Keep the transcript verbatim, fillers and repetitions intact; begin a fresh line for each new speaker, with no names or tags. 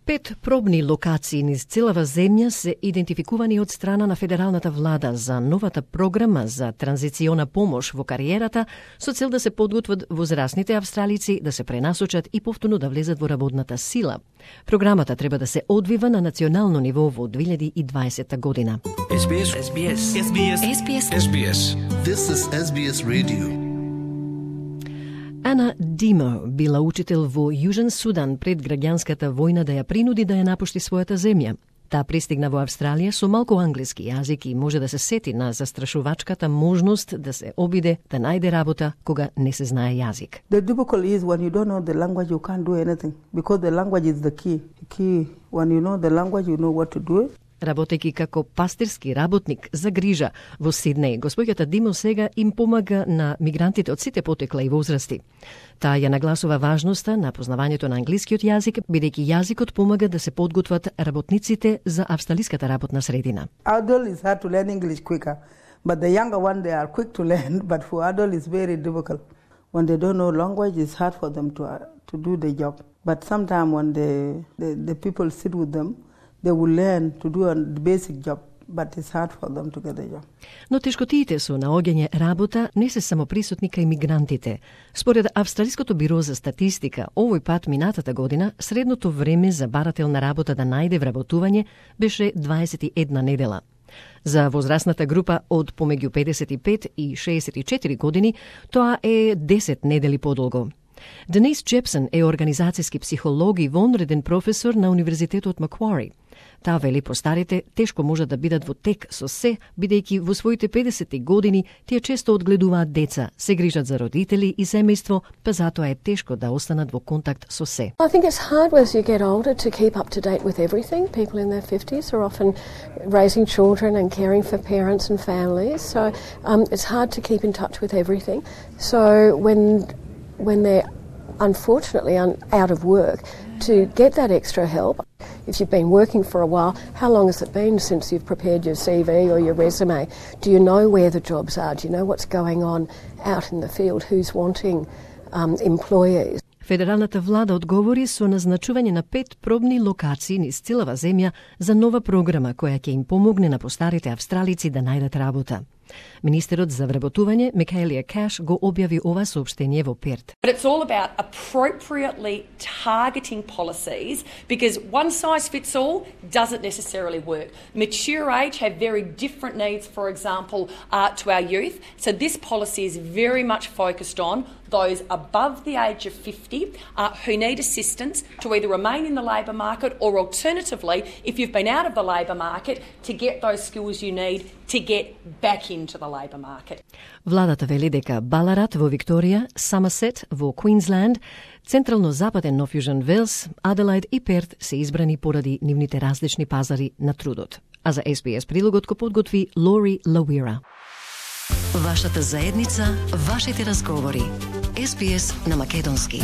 Пет пробни локации низ целава земја се идентификувани од страна на федералната влада за новата програма за транзициона помош во кариерата со цел да се подготват возрастните австралици да се пренасочат и повторно да влезат во работната сила. Програмата треба да се одвива на национално ниво во две илјади и дваесетта година.
Ес Би Ес, Ес Би Ес, Ес Би Ес, Ес Би Ес, Ес Би Ес.
This is Ес Би Ес Radio.
Ана Димо била учител во Јужен Судан пред граѓанската војна да ја принуди да ја напушти својата земја. Таа пристигна во Австралија со малку англиски јазик и може да се сети на застрашувачката можност да се обиде да најде работа кога не се знае јазик.
The difficult is when you don't know the language you can't do anything because the language is the key. The key when you know the language you know what to do.
Работејќи како пастирски работник за грижа во Сиднеј, господјата Димо сега им помага на мигрантите од сите потекла и возрасти. Таа ја нагласува важноста на познавањето на англискиот јазик, бидејќи јазикот помага да се подготват работниците за австралиската работна средина.
Adult is hard to learn English quicker, but the younger one they are quick to learn, but for adult it's very difficult. When they don't know language, it's hard for them to uh, to do the job. But sometimes when the, the the people sit with them, they will learn to do a basic job, but it's hard for them to get a job.
Но тешкотиите со наоѓање работа не се само присутни кај мигрантите. Според Австралиското биро за статистика, овој пат минатата година средното време за барател на работа да најде вработување беше дваесет и една недела. За возрастната група од помеѓу педесет и пет и шеесет и четири години тоа е десет недели подолго. Денис Джепсон е организацијски психолог и вонреден професор на Универзитетот Маквари. Таа вели постарите тешко можат да бидат во тек со се, бидејќи во своите педесети години тие често одгледуваат деца, се грижат за родители и семејство, па затоа е тешко да останат во контакт со се.
I think it's hard as you get older to keep up to date with everything. People in their fifties are often raising children and caring for parents and families, so um, it's hard to keep in touch with everything. So when when they're unfortunately un- out of work, to get that extra help. If you've been working for a while, how long has it been since you've prepared your C V or your resume? Do you know where the jobs are? Do you know what's going on out in the field? Who's wanting um, employees?
Федералната влада одговори со назначување на пет пробни локации низ целава земја за нова програма која ќе им помогне на постарите австралици да најдат работа. Министерот за вработување Микаелија Каш го објави ова соопштение во Перт.
But it's all about appropriately targeting policies because one size fits all doesn't necessarily work. Mature age have very different needs, for example, uh, to our youth. So this policy is very much focused on those above the age of fifty uh, who need assistance to either remain in the labour market or alternatively, if you've been out of the labour market, to get those skills you need to get back into the labour market.
Владата вели дека Баларат во Викторија, Самасет во Квинсленд, централно-западен Нов Јужен Велс, Аделајд и Перт се избрани поради нивните различни пазари на трудот. А за Ес Би Ес прилогот го подготви Лори Лауира.
Вашата заедница, вашите разговори. Ес Би Ес на македонски.